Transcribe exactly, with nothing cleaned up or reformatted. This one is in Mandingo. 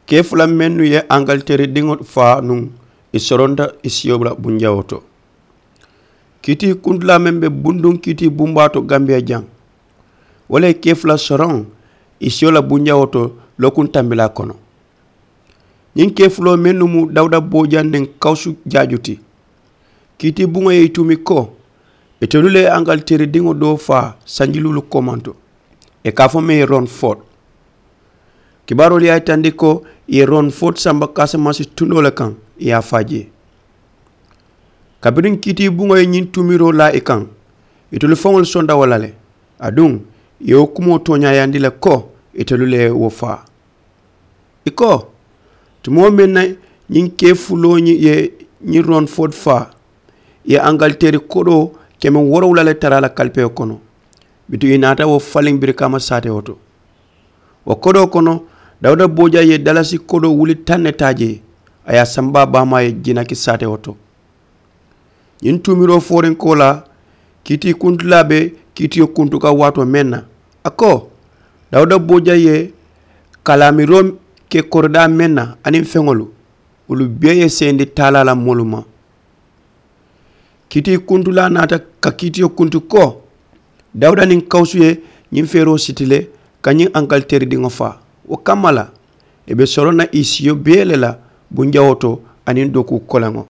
Kee fula mennu ye angaliteeri diŋo faa nuŋ, ì soronta ì siyo la bunjawoo to. Kiitii kuntulaa meŋ be bunduŋ kiitii bumbaa to gambiya jaŋ, wo le ye kee fula soroŋ ì siyo la bunjawoo to lookuŋ tambilaa kono. Ñiŋ kee fuloo mennu mu dawuda boojaŋ niŋ kawusu jaaju ti. Kiitii buŋo ye ì tuumi ko, itelu le ye angaliteeri diŋo doo faa sanji luulu koomanto, ì ka a fo meŋ ye ron ford. Kibaaroolu ye a yitandi ko ì ye ron ford samba kaasamansi tundoo le kaŋ, ì ye a faa jee. Kabiriŋ kiitii buŋo ye ñiŋ tuumiroo laa ì kaŋ, itelu faŋolu sonta wo la le. Aduŋ ì ye wo kumoo tooñaayandi le ko itelu le ye wo faa. Ì ko, tumoo meŋ na ñiŋ kee fuloo ye ñiŋ ron ford faa, ì ye angaliteeri kodoo keme woorowula le tara a la kalipewo kono. Bituŋ ì naata wo faliŋ birikaama saatewo to. Wo kodoo kono, dawuda booja ye dalasi kodoo wuli taŋ ne taa jee, a ye a samba baamaa ye jinaki saatewo to. Ñiŋ tuumiroo fooriŋ koolaa, kiitii kuntulaa be kiitiyo kuntu kaŋ waatoo meŋ na, a ko, dawuda booja ye kalaamiroo ke koridaa meŋ na aniŋ feŋolu, wolu bee ye seyindi taalaa la moolu ma. Kiitii kuntulaa naata ka kiitiyo kuntu ko, dawuda niŋ kawusu ye ñiŋ feeroo siti le ka ñiŋ angaliteeri diŋo faa. Wo kamma la, ì be soroŋ na ì siyo bee le la bunjawoo to aniŋ dokuu koleŋo.